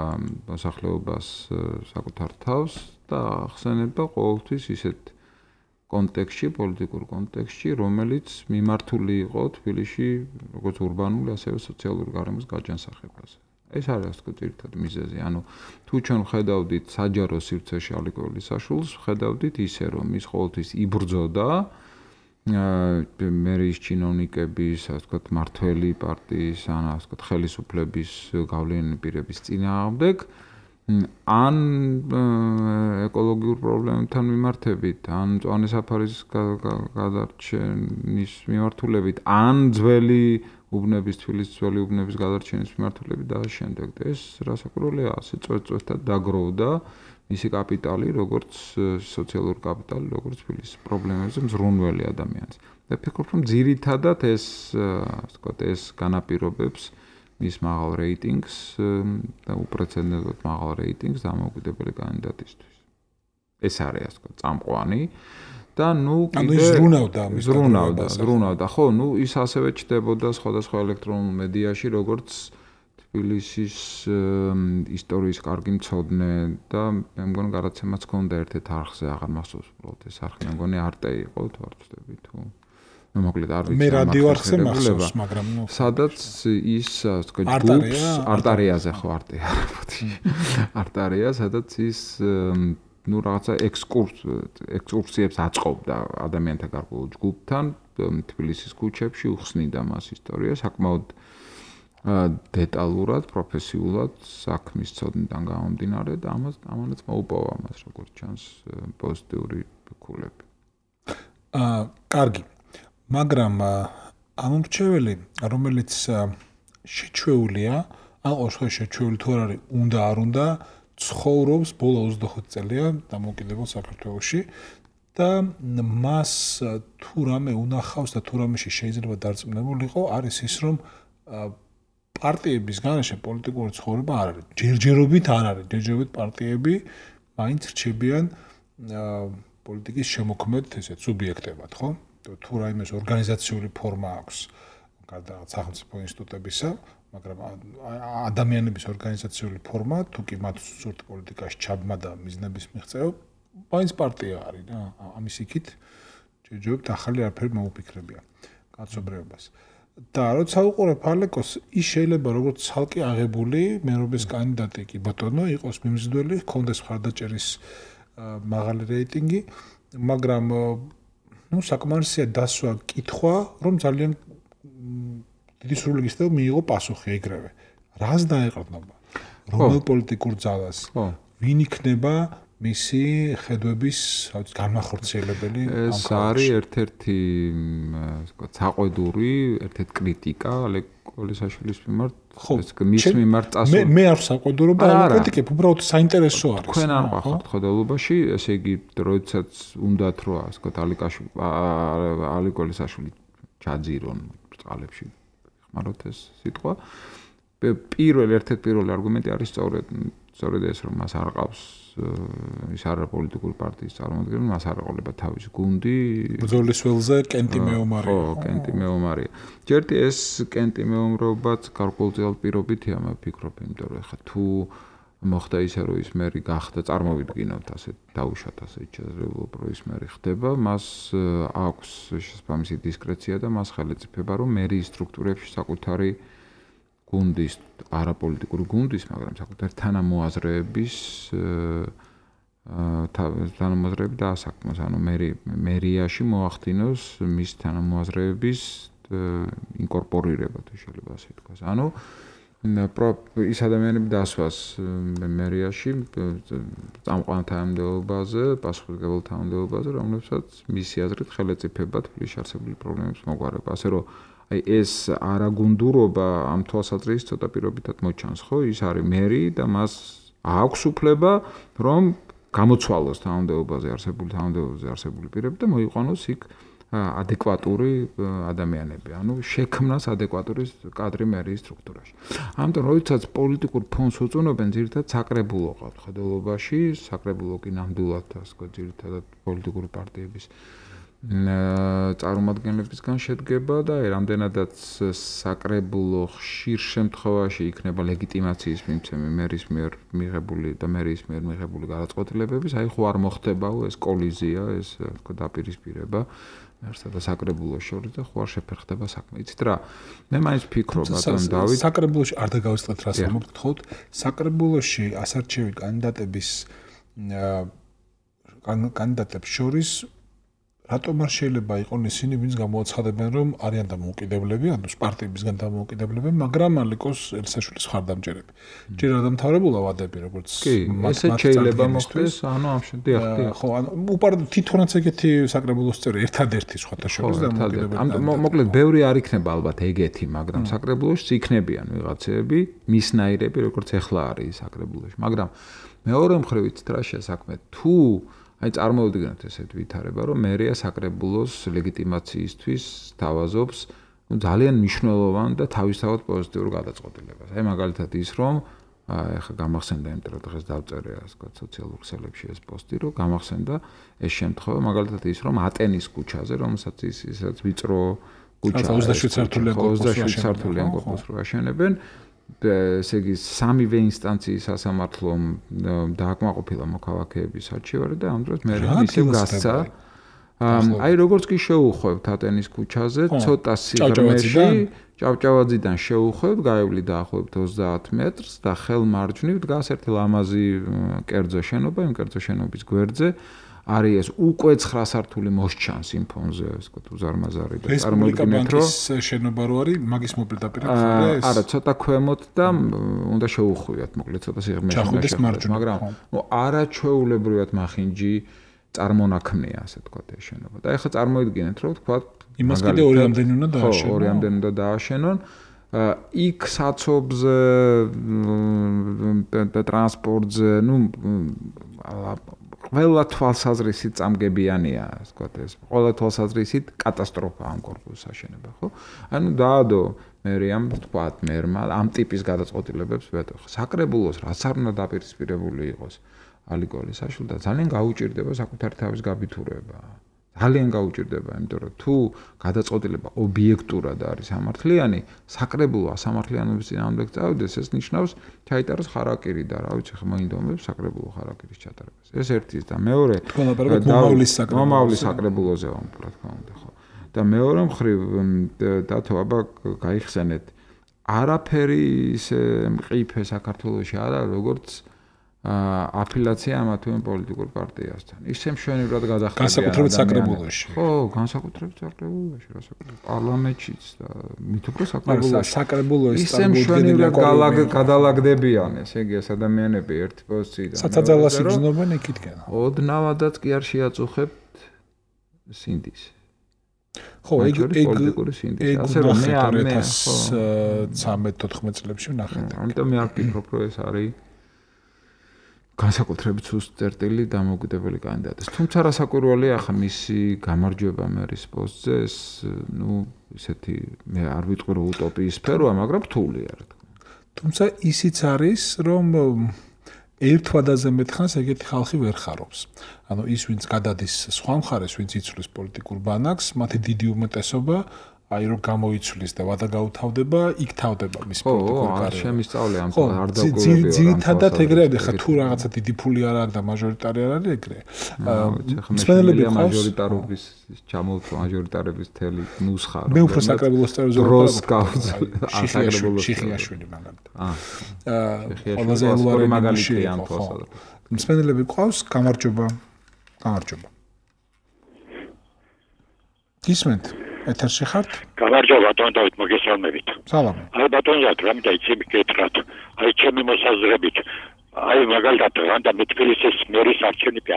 მოსახლეობას საკუთარ თავს და ახსენებდა ყოველთვის ისეთ კონტექსტში, პოლიტიკურ კონტექსტში, რომელიც მიმართული იყო თბილისში როგორც ურბანული, ასევე სოციალური გარემოს გაჯანსაღებაზე. ეს არის ასე ვთქვათ ერთად მიზეზი. ანუ თუ ჩვენ ხედავდით საჯარო სივრცეში ალე კოალიცაშვილს, ხედავდით ისე, რომ ის ყოველთვის იბრძოდა მერის ჩინოვნიკების, ასე ვთქვათ, მართველი პარტიის, ან ასე ვთქვათ, ხელისუფლების გავლენიანი პირების წინააღმდეგ, ან ეკოლოგიურ პრობლემებთან მიმართებით, ან მწვანე საფარის გადარჩენის მიმართულებით, ან თბილისის ძველი უბნების გადარჩენის მიმართულებით და შემდეგ. ეს რასაკვირველია, ასე წვეთ-წვეთად დაგროვდა მისი კაპიტალი, როგორც სოციალური კაპიტალი, როგორც თბილისის პრობლემებზე მზრუნველი ადამიანის. და ვფიქრობ, რომ ძირითადად ეს, ასე ვთქვათ, ეს განაპირობებს მის მაღალ რეიტინგს და უპრეცედენტოდ მაღალ რეიტინგს დამოუკიდებელი კანდიდატისთვის. ეს არის, ასე ვთქვათ, წამყვანი და კიდე ზრუნავდა. ხო, ის ასევე ჩნდებოდა სხვადასხვა ელექტრონულ მედიაში, როგორც თბილისის ისტორიის კარგი მცოდნე და მე მგონი გადაცემაც ჰქონდა ერთ-ერთ არხზე, აღარ მახსოვს უბრალოდ ეს არხი, მე მგონი არტე იყო, თუ არ ვცდები თუ მოკლედ არ ვიცი. მე რადიო არხზე მახსოვს, მაგრამ სადაც ის ასე ჯგუფს არტარიაზე ხო არტია არაფოთი. არტარია, სადაც ის რაღაცა ექსკურსიებს აწყობდა ადამიანთა გარკვეულ ჯგუფთან თბილისის ქუჩებში, უხსნიდა მას ისტორია, საკმაოდ დეტალურად, პროფესიულად საქმის ცოდნიდან გამომდინარე და ამანაც მოუპოვა მას როგორც ჩანს პოზიტიური ქულები. კარგი. მაგრამ ამომრჩეველი, რომელიც შეჩვეულია, ან ყოველ შემთხვევაში შეჩვეული თუ არ არის, უნდა არ უნდა, ცხოვრობს ბოლო 25 წელია დამოუკიდებელ საქართველოში და მას თუ რამე უნახავს და თუ რამეში შეიძლება დარწმუნებულიყო, არის ის, რომ პარტიების გარეშე პოლიტიკური ცხოვრება არ არის. ჯერჯერობით არ არის. ჯერჯერობით პარტიები მაინც რჩებიან პოლიტიკის შემოქმედ ესეთ სუბიექტებად, ხო? თუ რაიმეს ორგანიზაციული ფორმა აქვს, გარდა სახელმწიფო ინსტიტუტებისა, მაგრამ ადამიანების ორგანიზაციული ფორმა, თუ კი მათ სურთ პოლიტიკაში ჩაბმა და მიზნების მიღწევა, მაინც პარტია არის და ამის იქით ჯერჯერობით ახალი არაფერი მოუფიქრებია კაცობრიობას. და როცა უყურებ ალეკოს, ის შეიძლება როგორც ცალკე აღებული მერობის კანდიდატი კი ბატონო იყოს მიმზიდველი, ჰქონდეს მხარდაჭერის მაღალი რეიტინგი, მაგრამ საკმარისია დასვა კითხვა, რომ ძალიან დიდი სრულიგისდება მიიღო პასუხი ეგრევე. რას დაეყრდნობა? რომელ პოლიტიკურ ძალას? ვინ იქნება მისი ხედვების განმახორციელებელი? ეს არის ერთ-ერთი საყვედური, ერთ-ერთი კრიტიკა ალე კოალიცაშვილის მიმართ, მის მიმართ წასული. მე არ საყვედურობა, არ კრიტიკებ, უბრალოდ საინტერესო არის. თქვენ არ ვახართ ხედულობაში, ესე იგი, როდესაც უნდათ რო ასე ვთქვათ, ალე კოალიცაშვილი ჩაძირონ ბრწყალებში, ხმაროთ ეს სიტყვა. ერთ-ერთი პირველი არგუმენტი არის სწორედ სწორედ ეს რომ მას არ ყავს ის არა პოლიტიკური პარტიის წარმომადგენელი, მას არ ეყოლება თავისი გუნდი. ბრძოლის ველზე კენტი მეომარია. ხო, კენტი მეომარია. ჯერტი ეს კენტი მეომრობაც გარკვეულწილად პირობითია, მე ვფიქრობ, იმიტომ რომ ხა თუ მოხდა ისე რომ ის მერი გახდა, წარმოვიდგინოთ ასე დაუშვათ ასე შესაძლებლობა რომ ის მერი ხდება, მას აქვს შესაბამისი დისკრეცია და მას ხელეწიფება რომ მერიის სტრუქტურებში საკუთარი გუნდის, არაპოლიტიკური გუნდის, მაგრამ საკუთარი თანამოაზრეების თანამოაზრეები დაასაქმოს, ანუ მერიაში მოახდინოს მის თანამოაზრეების ინკორპორირება, თუ შეიძლება ასე ვთქვას. ანუ ის ადამიანები დასვას მერიაში წამყვან თანამდებობაზე, პასუხისმგებელ თანამდებობაზე, რომლებსაც მისი აზრით ხელეწიფება თბილისში არსებული პრობლემებს მოგვარება. ასე რომ აი ეს არაგუნდურობა ამ თვალსაზრისით ცოტა პირობითად მოჩანს, ხო? ის არის მერი და მას აქვს უფლება, რომ გამოცვალოს თანამდებობაზე არსებული პირები და მოიყვანოს იქ ადეკვატური ადამიანები, ანუ შექმნას ადეკვატური კადრი მერიის სტრუქტურაში. ამიტომ როდესაც პოლიტიკურ ფონს უწუნობენ, ძირითადად საკრებულო ყავთ ხედელობაში, საკრებულო კი ნამდვილად ასე ვთქვათ, ძირითადად პოლიტიკური პარტიების წარმომადგენლებისგან შედგება და რამდენადაც საკრებულო ხშირ შემთხვევაში იქნება ლეგიტიმაციის მიმცემი მერის მიერ მიღებული და მერიის მიერ მიღებული გადაწყვეტილებების, აი ხო არ მოხდებაო ეს კოლიზია, ეს თქო დაპირისპირება მერსა და საკრებულოს შორის და ხო არ შეფერხდება საქმე. იცით რა, მე მაინც ვფიქრობ ბატონ დავით, საკრებულოში არ დაგავიწყეთ რას მოგთხოვთ, საკრებულოში ასარჩევი კანდიდატებს შორის რატომ არ შეიძლება იყონ ისინი, ვინც გამოაცხადებენ, რომ არიან დამოუკიდებლები, ანუ პარტიებისგან დამოუკიდებლები, მაგრამ ალიკოს ელსაშვილის ხარდამჭერები. ჯერ არ დამთავრებულა ვადები, როგორც ესე შეიძლება მოხდეს, ანუ ამ შემთხვევაში დიახ. ხო, ანუ თვითონაც ეგეთი საკრებულოს წევრი ერთადერთი სხვათა შორის დამოუკიდებელი. მოკლედ, ბევრი არ იქნება ალბათ ეგეთი, მაგრამ საკრებულოში იქნებიან ვიღაცები, მისნაირები, როგორც ეხლა არის საკრებულოში. მაგრამ მეორე მხრივ იცით რა შესაქმე, თუ აი წარმოვიდგინოთ ესეთ ვითარება, რომ მერია საკრებულოს ლეგიტიმაციისთვის თავაზობს ძალიან მნიშვნელოვან და თავისთავად პოზიტიურ გადაწყვეტილებას. აი მაგალითად ის, რომ ეხლა გამახსენდა, იმიტომ რომ დღეს დავწერე ასე ვთქვათ სოციალურ ქსელებში ეს პოსტი, რომ გამახსენდა ეს შემთხვევა, მაგალითად ის, რომ ატენის ქუჩაზე, რომელსაც ისაც ვიწრო ქუჩა 27 სართულიან კორპუსს რო აშენებენ, ესე იგი სამივე ინსტანციის სასამართლომ დააკმაყოფილა მოქალაქეების არჩევარი და ამ დროს მე ისევ გასცა. აი როგორც კი შეუხვევთ ატენის ქუჩაზე, ცოტა სიღრმეში ჭავჭავაძიდან შეუხვევთ, გაევლი დაახლოებით 30 მეტრს და ხელმარჯვნივ დგას ერთი ლამაზი კერძო შენობა, იმ კერძო შენობის გვერდზე არის ეს უკვე 9 სართული მოსჩანს იმ ფონზე, ასე ვთქვათ, უზარმაზარი და წარმოგიდგენთ, რომ შენობა რო არის, მაგის მოპირდაპირებია ეს. არა, ცოტა ქვემოთ და უნდა შეუხვიათ, მოკლედ ცოტა სიღრმეში შეხვდეთ, მაგრამ არაჩვეულებრივად მახინჯი წარმონაქმნია, ასე ვთქვათ, ეს შენობა. და ეხლა წარმოიდგინეთ, რომ ვთქვათ, იმას კიდე ორი ამდენი უნდა დააშენონ. ხო, ორი ამდენი უნდა დააშენონ. იქ საცობზე და ტრანსპორტზე, ყველა თვალსაზრისით წამგებიანია, ასე ვთქვათ, ეს ყველა თვალსაზრისით კატასტროფა ამ კორპუსის აშენება, ხო? ანუ დაადო მერიამ ვთქვათ, მერმა ამ ტიპის გადაწყვეტილებებს ვეტყო. საკრებულოს რაც არ უნდა დაპირისპირებული იყოს ალიკოლისაშვილ და ძალიან გაუჭირდება საკუთარი თავის გაბითურება. ძალიან გაუჭირდება, იმიტომ რომ თუ გადაწყვეტილება ობიექტურად არის სამართლიანი, საკრებულო ასამართლიანობის წინააღმდეგ წავიდეს, ეს ნიშნავს ჩაიტაროს ხარაკირი და რა ვიცი, მოინდომებს საკრებულო ხარაკირის ჩატარებას. ეს ერთის და მეორე მომავლის საკრებულოზე ვამბობ, რა თქმა უნდა, ხო. და მეორე მხრივ დათო აბა გაიხსენეთ, არაფერი ისე მყიფე საქართველოში არ არის, როგორც აფილაცია ამა თუ იმ პოლიტიკურ პარტიასთან. ისე მშვენივრად გადახდებიან. განსაკუთრებით საკრებულოში. ხო, განსაკუთრებით საკრებულოში, რასაც პარლამენტშიც და მით უფრო საკრებულოში ისე მშვენივრად გადალაგდებიან, ესე იგი ეს ადამიანები ერთი პოზიციიდან. საცაძალას იგრძნობენ იქითკენ. ოდნავადაც კი არ შეაწუხებთ სინდის. ხო, ეგ პოლიტიკური სინდის. ასე რომ მე 2013-14 წლებში ვნახეთ. ამიტომ მე არ ვფიქრობ, რომ ეს არის განსაკუთრებით სუსტ წერტილი დამოუკიდებელი კანდიდატის. თუმცა რასაკვირველია ახლა მისი გამარჯვება მერის პოსტზე, ეს ისეთი მე არ ვიტყვი რომ utopიის სფეროა, მაგრამ რთულია რა თქმა უნდა. თუმცა ისიც არის, რომ ერთ ვადაზე მეტხანს ეგეთი ხალხი ვერ ხარობს. ანუ ის ვინც გადადის სხვა მხარეს, ვინც იცვლის პოლიტიკურ ბანაკს, მათი დიდი უმეტესობა აი რომ გამოიცვლის და ვადა გაუთავდება, იქ თავდება მის პოლიტიკურ კარიერას. შემისწავლე ამ არ დაგვირებია. ძირითადად ეგრევე ხა თუ რაღაცა დიდი ფული არ არის და მაჟორიტარი არ არის ეგრე. მსმენელები მაჟორიტარობის მაჟორიტარების თელი ნუსხა. მე უფრო საკრებულოს წევრზე შიხიაშვილი მაგალითად. ყველაზე ელვარი მაგალითია ამ თვალსაზრისით. მსმენელები ყავს, გამარჯობა. გისმენთ? ეთერში ხართ? გამარჯობა ბატონ დავით, მოგესალმებით. სალამი. აი ბატონ ზათ, რამე იცი მიკეთრათ. აი ჩემი მოსაზრებით, აი მაგალითად რანდა მეტფილისის მერის არჩევნები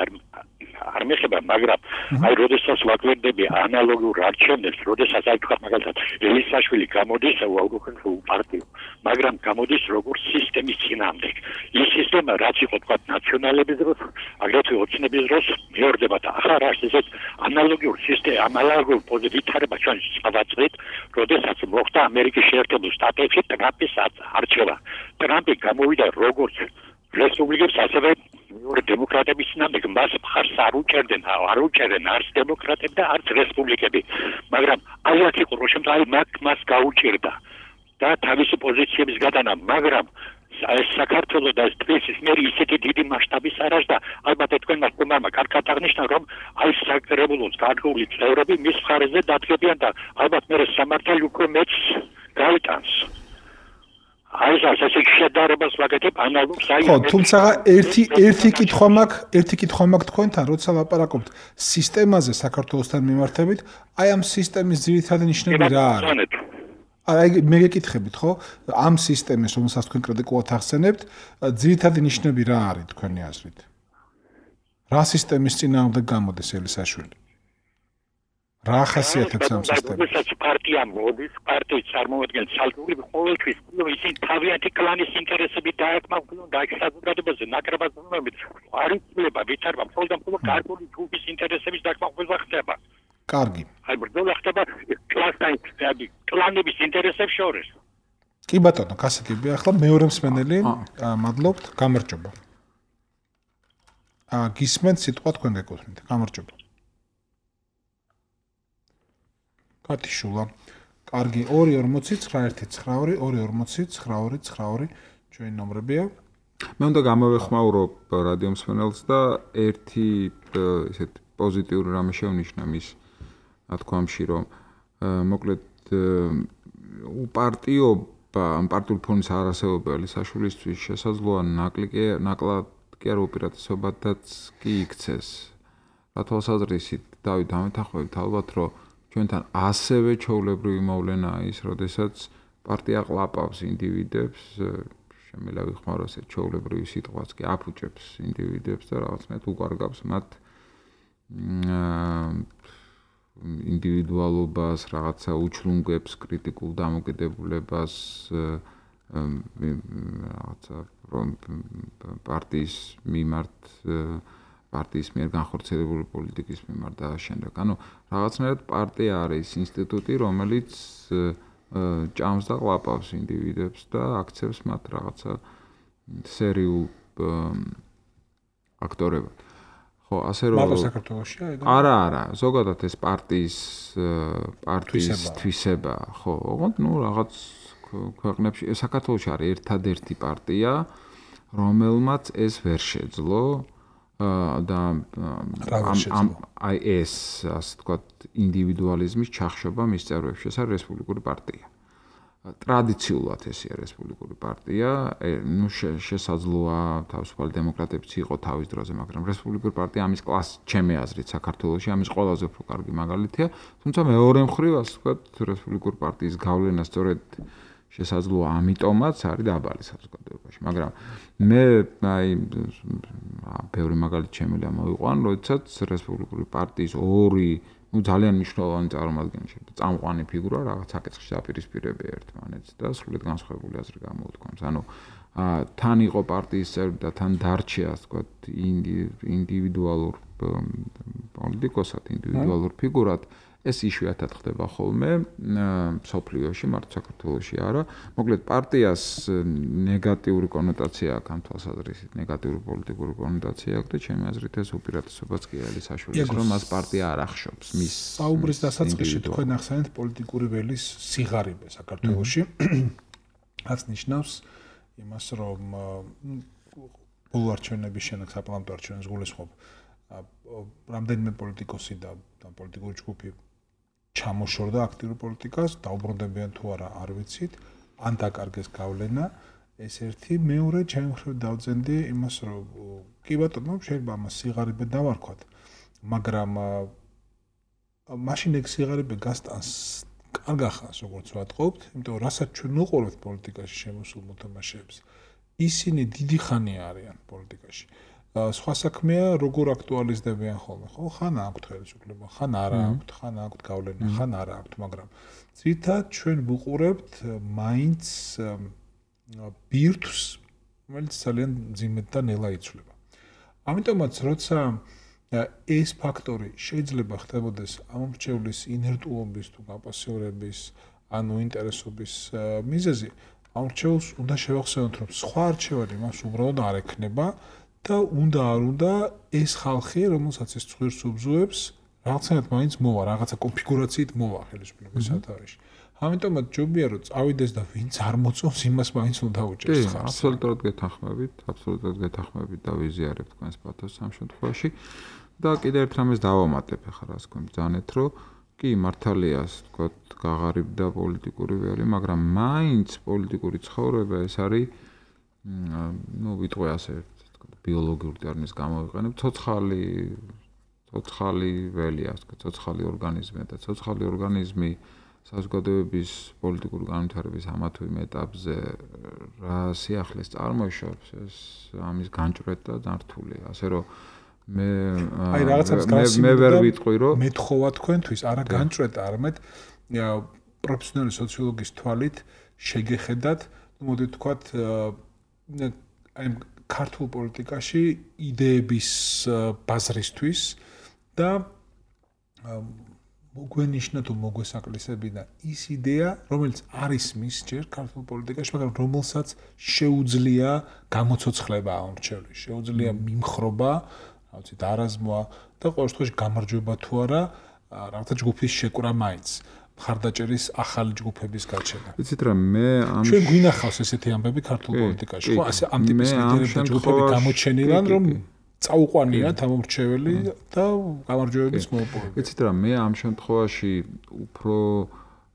არ მეხება, მაგრამ აი როდესაც ვაკვირდები ანალოგურ არჩევნებს, როდესაც აი თქვა მაგალითად ელისაშვილი გამოდის უახლოესი პარტია, მაგრამ გამოდის როგორც სისტემის წინააღმდეგ. ის სისტემა რაც იყო თქვა ნაციონალების დროს, აგრეთვე ოცნების დროს მეორდება და ახლა ასეთ ანალოგიურ სისტემა, ანალოგიურ ვითარება ჩვენ წავაწყდით, როდესაც მოხდა ამერიკის შეერთებულ შტატებში ტრამპის არჩევა. ტრამპი გამოვიდა როგორც რესპუბლიკებს ასევე დემოკრატების წინააღმდეგ, მას მხარს არ უჭერდნენ არც დემოკრატები და არც რესპუბლიკები, მაგრამ აი აქ იყო რომ შემდგომი მას გაუჭირდა და თავისი პოზიციების გადანა, მაგრამ საქართველოს და თბილისის მერი ისეთი დიდი მასშტაბის არას და ალბათ თქვენმა თქმამა კარგად აღნიშნა რომ აი საკრებულოს გარკვეული წევრები მის მხარეზე დადგებიან და ალბათ მე სამართალი უკვე მეც გავიტანს. აი ეს შედარებას ვაკეთებ ანალოგს აი ხო, თუმცა ერთი კითხვა მაქვს თქვენთან, როცა ლაპარაკობთ სისტემაზე საქართველოსთან მიმართებით, აი ამ სისტემის ძირითადი ნიშნები რა არის? აი მე გეკითხებით, ხო? ამ სისტემის, რომელსაც თქვენ კრიტიკულად ახსენებთ, ძირითადი ნიშნები რა არის თქვენი აზრით? რა სისტემის წინააღმდეგ გამოდის ელისაშვილი? რა ახასიათებს ამ სისტემას? როდესაც პარტია მოდის, პარტიის წარმოადგენს ცალკეული ყოველთვის ისინი თავიანთი კლანის ინტერესებით დააკმაყოფილონ და აქ საზოგადოებაზე ნაკრებად მომებით არ იცვლება ვითარება მხოლოდ გარკვეული ჯგუფის ინტერესების დაკმაყოფილება ხდება. კარგი. აი ბრძოლა ხდება კლანების ინტერესებს შორის. კი ბატონო, გასაგებია. ახლა მეორე მსმენელი, მადლობთ, გამარჯობა. გისმენთ სიტყვა თქვენ გეკუთვნით. გამარჯობა. კატიშულა. კარგი, 240-919-240-929 ჩვენი ნომრებია. მე უნდა გამოვეხმაურო რადიო მსმენელს და ერთი ესეთ პოზიტიური რამე შევნიშნა მის ნათქვამში, რომ მოკლედ უპარტიობა, პარტიული ფონის არასეულობა ელისაშვილისთვის შესაძლოა ნაკლად კი არ უპირატესობადაც კი იქცეს. რა თვალსაზრისით დავით ამეთანხმებით ალბათ, რომ ჩვენთან ასევე ჩვეულებრივი მოვლენაა ის, როდესაც პარტია ყლაპავს ინდივიდებს, შემიძლია ვიხმაროს ეს ჩვეულებრივი სიტყვაც კი აფუჭებს ინდივიდებს და რაღაცნაირად უკარგავს მათ ინდივიდუალობას, რაღაცა უჩლუნგებს კრიტიკულ დამოკიდებულებას, რაღაცა პარტიის მიმართ პარტიის მიერ განხორციელებული პოლიტიკის მიმართ და შემდეგ. ანუ რაღაცნაირად პარტია არის ინსტიტუტი, რომელიც ჭამს და ყლაპავს ინდივიდებს და აქცევს მათ რაღაცა სერიულ აქტორებად. ხო, ასე რომ მარტო საქართველოშია ეგ? არა, ზოგადად ეს პარტიის თვისება, ხო, ოღონდ რაღაც ქვეყნებში, საქართველოში არის ერთადერთი პარტია, რომელმაც ეს ვერ შეძლო და აი ეს, ასე ვთქვათ, ინდივიდუალიზმის ჩახშობა მის წევრებში, ეს არის რესპუბლიკური პარტია. ტრადიციულად ესია რესპუბლიკური პარტია, ნუ შესაძლოა თავისუფალი დემოკრატებიც იყო თავის დროზე, მაგრამ რესპუბლიკური პარტია ამის კლასი, ჩემი აზრით, საქართველოში ამის ყველაზე უფრო კარგი მაგალითია, თუმცა მეორე მხრივ, ასე ვთქვათ, რესპუბლიკური პარტიის გავლენა სწორედ შესაძლოა ამიტომაც არის დაბალი საზოგადოებაში, მაგრამ მე აი ბევრი მაგალითი შემიძლია მოვიყვან, როდესაც რესპუბლიკური პარტიის ორი ძალიან მნიშვნელოვანი წარმომადგენელი წამყვანი ფიგურა რაღაც საკითხში დაპირისპირებია ერთმანეთს და სრულიად განსხვავებული აზრი გამოუთქვამს. ანუ თან იყო პარტიის წევრი და თან დარჩა, ასე ვთქვათ, ინდივიდუალურ პოლიტიკოსად, ინდივიდუალურ ფიგურად, ეს იშვიათად ხდება ხოლმე სოფლიოში, მარტო საქართველოში არა. მოკლედ პარტიას ნეგატიური კონოტაცია აქვს ამ თვალსაზრისით, ნეგატიური პოლიტიკური კონოტაცია აქვს და ჩემი აზრით ეს უპირატესობაც კი არის საშუალის, რომ მას პარტია არ ახშობს მის საუბრის დასაწყისში თქვენ ახსენეთ პოლიტიკური ველის სიღარიბე საქართველოში. რაც ნიშნავს იმას, რომ ბოლო არჩევნების შემდეგ საპარლამენტო არჩევნებს გულისხმობ რამდენიმე პოლიტიკოსი და პოლიტიკური ჯგუფი ჩამოშორდა აქტიურ პოლიტიკას, დაუბრუნდებიან თუ არა, არ ვიცით, ან დაკარგეს გავლენა, ეს ერთი, მეორე ჩემი მხრიდან დავძენდი იმას, რომ კი ბატონო, შეიძლება ამას სიღარიბე დავარქვათ, მაგრამ მაშინ ეგ სიღარიბე გასტანს კარგ ახანს, როგორც ვატყობთ, იმიტომ რომ რასაც ჩვენ უყურებთ პოლიტიკაში შემოსულ მოთამაშეებს, ისინი დიდი ხანი არიან პოლიტიკაში. სხვა საქმეა, როგორ აქტუალიზდებიან ხოლმე, ხო? ხან აქვთ ხელისუფლება, ხან არა აქვთ, ხან აქვთ გავლენა, ხან არა აქვთ, მაგრამ ძირითადად ჩვენ ვუყურებთ მაინც ბირთვს, რომელიც ძალიან ძიმედ და ნელა იცვლება. ამიტომაც, როცა ეს ფაქტორი შეიძლება ხდებოდეს ამომრჩევლის ინერტულობის თუ გაპასიურების, ანუ ინტერესობის მიზეზი, ამომრჩევლს უნდა შევახსენოთ, რომ სხვა არჩევანი მას უბრალოდ არ ექნება და უნდა ეს ხალხი, რომელსაც ეს ცხვირს უბზუებს, რაღაცნაირად მაინც მოვა, რაღაცა კონფიგურაციით მოვა ხელისუფლების სათავეში. ამიტომაც ჯობია რომ წავიდეს და ვინც არ მოწონს, იმას მაინც უნდა დაუჭერს ხარს. აბსოლუტურად გეთანხმებით და ვიზიარებ თქვენს პათოსს ამ შემთხვევაში. და კიდევ ერთ რამეს დავამატებ ახლა რას თქვენ ბრძანეთ, რომ კი მართალია, თქვათ, გაღარიბდა პოლიტიკური ველი, მაგრამ მაინც პოლიტიკური ცხოვრება ეს არის ვიტყვი ასე ბიოლოგიური ტერმინის გამოვიყენებ, ცოცხალი ველია, ასე ვთქვათ, ცოცხალი ორგანიზმია და ცოცხალი ორგანიზმი საზოგადოების პოლიტიკური განვითარების ამა თუ იმ ეტაპზე რა სიახლეს წარმოიშობს, ეს ამის განჭვრეტა და ნართულია. ასე რომ მე ვერ ვიტყვი, რომ მეთხოვა თქვენთვის არა განჭვრეტა, არამედ პროფესიონალი სოციოლოგის თვალით შეგეხედათ, მოდი ვთქვათ, აი ქართულ პოლიტიკაში იდეების ბაზრისთვის და მოგვენიშნა თუ მოგვესაკლისებინა ის იდეა, რომელიც არის მის ჯერ ქართულ პოლიტიკაში, მაგრამ რომელსაც შეუძლია გამოცოცხლება ამორჩევლის, შეუძლია მიმხრობა, რა ვიცი, დარაზმვა და ყოველ შემთხვევაში გამარჯვება თუ არა, რაღაცა ჯგუფის შეკვრა მაინც. მხარდაჭერის ახალი ჯგუფების გაჩენა. ვიცით რა, მე ამ ჩვენ გვინახავს ესეთი ამბები ქართულ პოლიტიკაში, ხო? ასე ამ ტიპის ლიდერები და ჯგუფები გამოჩენილან, რომ წაუყვანიათ ამორჩეველი და გამარჯვებების მონოპოლი. ვიცით რა, მე ამ შემთხვევაში უფრო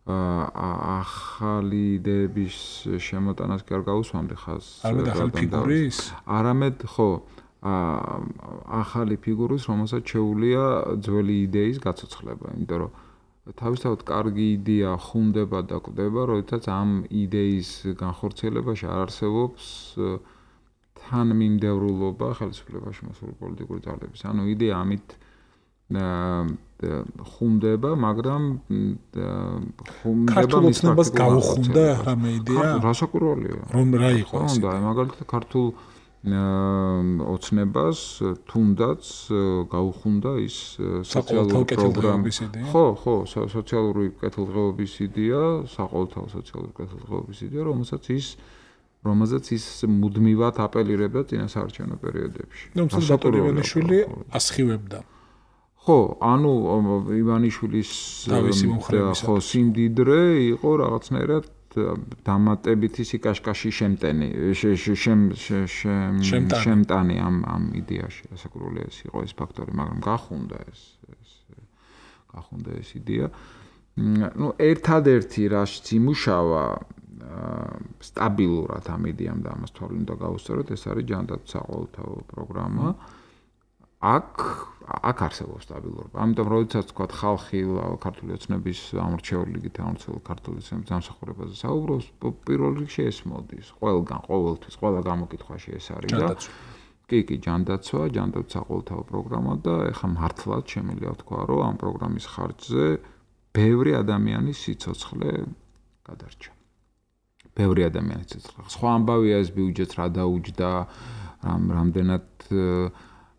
ახალი იდეების შემოტანას კი არ გავუსვამდი ხას. არამედ ახალი ფიგურის? არამედ ხო, ახალი ფიგურის, რომელსაც შეუძლია ძველი იდეის გაცოცხლება, იმიტომ რომ თავისთავად კარგი იდეა ხუნდება და კვდება, როდესაც ამ იდეის განხორციელებაში არ არსებობს თანმიმდევრულობა ხელისუფლებაში მოსული პოლიტიკური ძალების. ანუ იდეა ამით ხუნდება, მაგრამ ხუნდება მის ფაქტს გაუხუნდა რამე იდეა? რასაკვირველია. რომ რა იყო ეს? უნდა, მაგალითად ქართულ ოცნებას თუნდაც გაუხუნდა ის სოციალური პროგრამის იდეა. ხო, სოციალური კეთილდღეობის იდეა, საყოველთაო სოციალური კეთილდღეობის იდეა, რომელზეც ის მუდმივად აპელირებდა წინასაარჩევნო პერიოდებში. ნუ ბატონ ივანიშვილი ასხივებდა. ხო, ანუ ივანიშვილის სიმდიდრე იყო რაღაცნაირად დამატებითი სიკაშკაში შემტანი ამ იდეაში, ასაკურული ეს იყო ეს ფაქტორი, მაგრამ გახუნდა ეს იდეა. ნუ ერთადერთი რაც იმუშავა სტაბილურად ამ იდეამ და ამას თვალი უნდა გაუსწოროთ, ეს არის ჯანდაცვის საყოველთაო პროგრამა. აქ არსებობს სტაბილურობა. ამიტომ როდესაც თქვა ხალხი ქართული ოცნების ამორჩევლიგით ამორჩეულ ქართული ოცნების დამსახურებაზე საუბრობს, პირველ რიგში ეს მოდის. ყოველთვის, ყველა გამოკითხვაში ეს არის და კი, ჯანდაცვა საყოველთაო პროგრამა და ეხლა მართლაც შემიძლია თქვა, რომ ამ პროგრამის ხარჯზე ბევრი ადამიანის სიცოცხლე გადარჩა. ბევრი ადამიანის სიცოცხლე. სხვა ამბავია ეს ბიუჯეტს რა დაუჯდა, რამდენად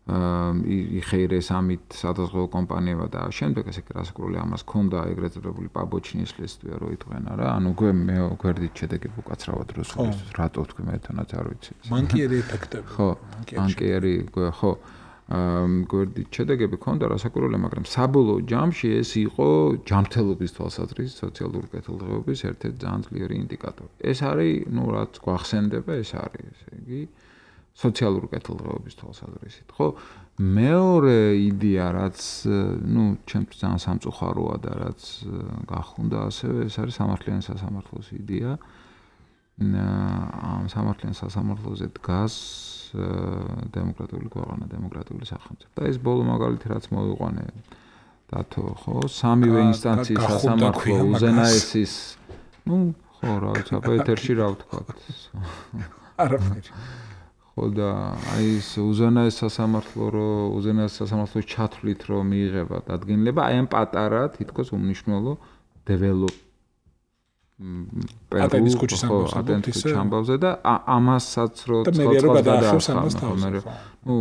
იხეირეს ამით სადაზღვევო კომპანიებმა და შემდეგ ესე რასაკურველი ამას ქონდა ეგრეთ წოდებული პაბოჩნის ლისტვია რო იტყვიან რა ანუ მე გვერდით შედეგები უკაცრავად როს რატო თქვი მე თანაც არ ვიცი მანკიერი ეფექტები ხო მანკიერი ხო გვერდით შედეგები ქონდა რასაკურველი მაგრამ საბოლოო ჯამში ეს იყო ჯანმრთელობის თვალსაზრისით სოციალური კეთილდღეობის ერთ-ერთი ძალიან ძლიერი ინდიკატორი ეს არის ნუ რაც გვახსენდება ეს არის ესე იგი სოციალური კეთილდღეობის თვალსაზრისით, ხო? მეორე იდეა, რაც, ნუ, ჩემთვის ძალიან სამწუხაროა და რაც გახუნდა ასევე, ეს არის სამართლიანი სასამართლოს იდეა. ამ სამართლიან სასამართლოზე დგას დემოკრატიული ქვეყანა, დემოკრატიული სახელმწიფო. და ეს ბოლო მაგალითი რაც მოვიყვანე დათო, ხო? სამივე ინსტანციის სასამართლო უზენაესის, ნუ, ხო, რა ვიცი, აბა ეთერში რა ვთქვა. არაფერი. და აი ეს უზენაეს სასამართლოს ჩათვლით რომ მიიღება დადგენილება აი ამ პატარა თითქოს უმნიშვნელო ატენის ქუჩის ამბავზე და ამასაც რო ცოცხლად გადაახევს ნუ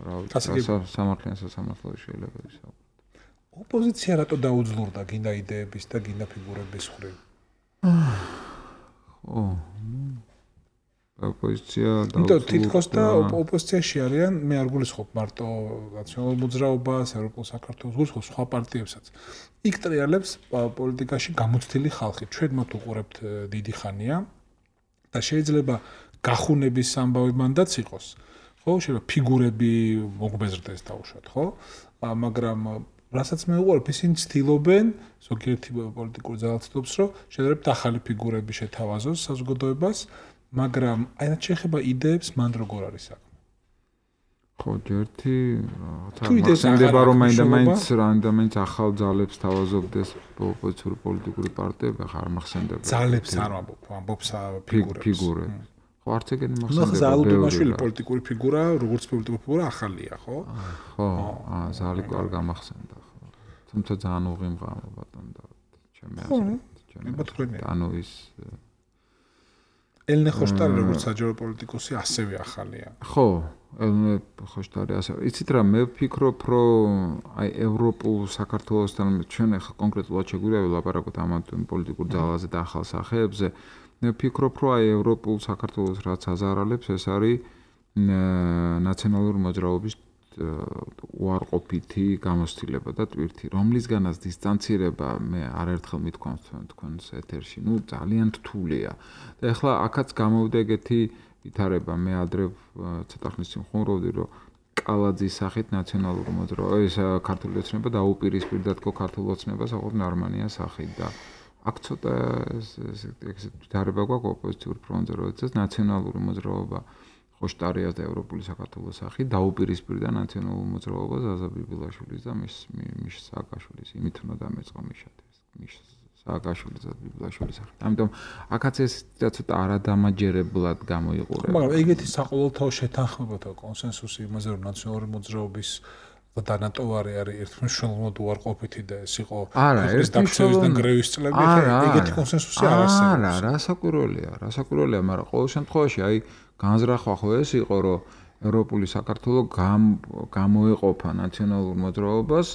რა ვიცი სამართლიან სასამართლოში შეიძლება ისაუბროთ ოპოზიცია რატო დაუძლურდა გინდა იდეების და გინდა ფიგურების ხრი ხო ოპოზიცია და თითქოს და ოპოზიციაში არიან მე არ გულისხმობ მარტო ნაციონალურ მოძრაობას, ევროპულ საქართველოს გულისხმობ სხვა პარტიებსაც. იქ ტრიალებს პოლიტიკაში გამოცდილი ხალხი. ჩვენ მათ უყურებთ დიდი ხანია და შეიძლება გახუნების ამბავი მანდაც იყოს. ხო, შეიძლება ფიგურები მოგბეზრდეს დაუშვათ, ხო? მაგრამ რასაც მე უყურებ, ისინი ცდილობენ ზოგიერთი პოლიტიკური ძალა ცდილობს, რომ შეიძლება ახალი ფიგურები შეთავაზოს საზოგადოებას. მაგრამ აი რაც შეეხება იდეებს მან როგორ არის საქმე? ხო, ერთი რაღაცა რომ მაინც ახალ ძალებს თავაზობდეს ოპოზიციური პოლიტიკური პარტიები, ხა არ მახსენდება. ძალებს არ ამბობს ფიგურებს. ხო, არც ეგენი მახსენდება. ზალუტონაშვილი პოლიტიკური ფიგურა, როგორც პოლიტიკური ფიგურა ახალია, ხო? ხო, ზალი არ გამახსენდა, ხო. თუმცა ძალიან უღიმღამა ბატონ და ჩემი აზრით. ანუ ის ელნე ხოშტარი როგორც საჯარო პოლიტიკოსი ასევე ახალია. ხო, ელნე ხოშტარი ასევე. იცით რა, მე ვფიქრობ, რომ აი ევროპულ საქართველოსთან ჩვენ ახლა კონკრეტულად შეგვიძლია ვილაპარაკოთ ამ პოლიტიკურ ძალაზე და ახალ სახეებზე. მე ვფიქრობ, რომ აი ევროპულ საქართველოს რაც აზარალებს, ეს არის ნაციონალური მოძრაობის უარყოფითი გამოცდილება და ტვირთი, რომლისგანაც დისტანცირება მე არაერთხელ მithქვამს თქვენს ეთერში, ნუ ძალიან რთულია. და ეხლა აქაც გამოვიდა ეგეთი ვითარება, მე ადრე ცოტა ხნის წინ ხუმრობდი, რომ კალაძის სახით ნაციონალური მოძრაობა, ეს ქართული ოცნება დაუპირისპირდა თქო ქართულ ოცნებას, აღარ ნორმანია სახით და აქ ცოტა ეს ვითარება გვაქვს ოპოზიციური ფრონტზე, როდესაც ნაციონალური მოძრაობა ხოშტარიას და ევროპული საქართველოს სახით დაუპირისპირდა ნაციონალურ მოძრაობას ზაზა ბიბილაშვილის და მის სააკაშვილის, იმით უნდა დამეწყო მის სააკაშვილის და ბიბილაშვილის სახით. ამიტომ აქაც ეს ცოტა არადამაჯერებლად გამოიყურება. მაგრამ ეგეთი საყოველთაო შეთანხმებათა კონსენსუსი იმაზე რომ ნაციონალური მოძრაობის დანატოვარი არის ერთმნიშვნელოვნად უარყოფითი და ეს იყო ეს დაქცევის და გრევის წლები, ეგეთი კონსენსუსი არ არსებობს. არა, რასაკურველია, მაგრამ ყოველ შემთხვევაში აი განზრახვა ხო ეს იყო, რომ ევროპული საქართველო გამოეყოფა ნაციონალურ მოძრაობას,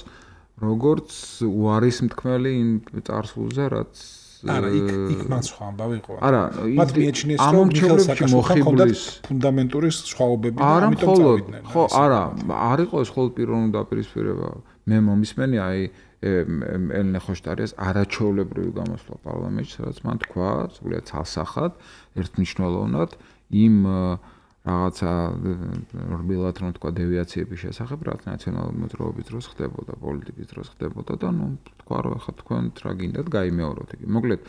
როგორც უარის მთქმელი იმ წარსულზე, რაც არა, იქ მან სხვა ამბავი იყო. არა, მათ მიეჩნიეს, რომ მიხეილ სააკაშვილთან ჰქონდათ ფუნდამენტური სხვაობები და ამიტომ წავიდნენ. ხო, არა, არ იყო ეს მხოლოდ პიროვნული დაპირისპირება. მე მომისმენი აი ელნე ხოშტარიას არაჩვეულებრივი გამოსვლა პარლამენტში, სადაც მან თქვა, სულიად ცალსახად, ერთმნიშვნელოვნად იმ რაღაცა რბილად რომ თქვა დევიაციების შესახებ, რაც ნაციონალური მოძრაობის დროს ხდებოდა, პოლიტიკის დროს ხდებოდა და ნუ თქვა რომ ახლა თქვენ რა გინდათ გაიმეოროთ იგი. მოკლედ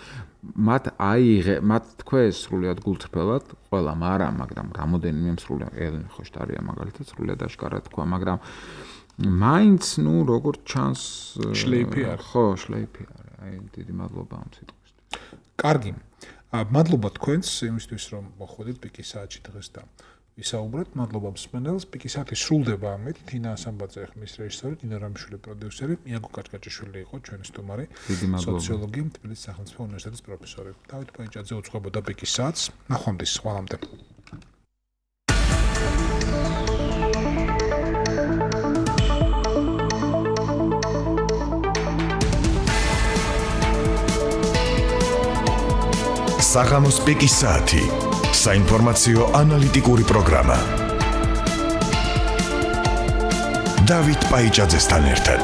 მათ თქვეს სრულიად გულწრფელად ყველა, მაგრამ რამოდენიმე სრულიად ელნე ხოშტარია მაგალითად სრულიად აშკარად თქვა, მაგრამ მაინც ნუ როგორც ჩანს შლეიფი არის. ხო, შლეიფი არის. აი დიდი მადლობა ამ სიტყვისთვის. კარგი. მადლობა თქვენს იმისთვის რომ მოხვედით პიკის საათში დღეს და ვისაუბრეთ. მადლობა მსმენელს. პიკის საათი სრულდება ამით. თინა ასამბაძე ხმის რეჟისორი, დინა რამიშვილი პროდიუსერი, მიაგო კაჭკაჭიშვილი იყო ჩვენი სტუმარი, სოციოლოგი, თბილისის სახელმწიფო უნივერსიტეტის პროფესორი. დავით პაიჭაძე უძღვებოდა პიკის საათს. ნახვამდის, ხვალამდე. საღამოს პიკის საათი. საინფორმაციო ანალიტიკური პროგრამა. დავით პაიჭაძესთან ერთად.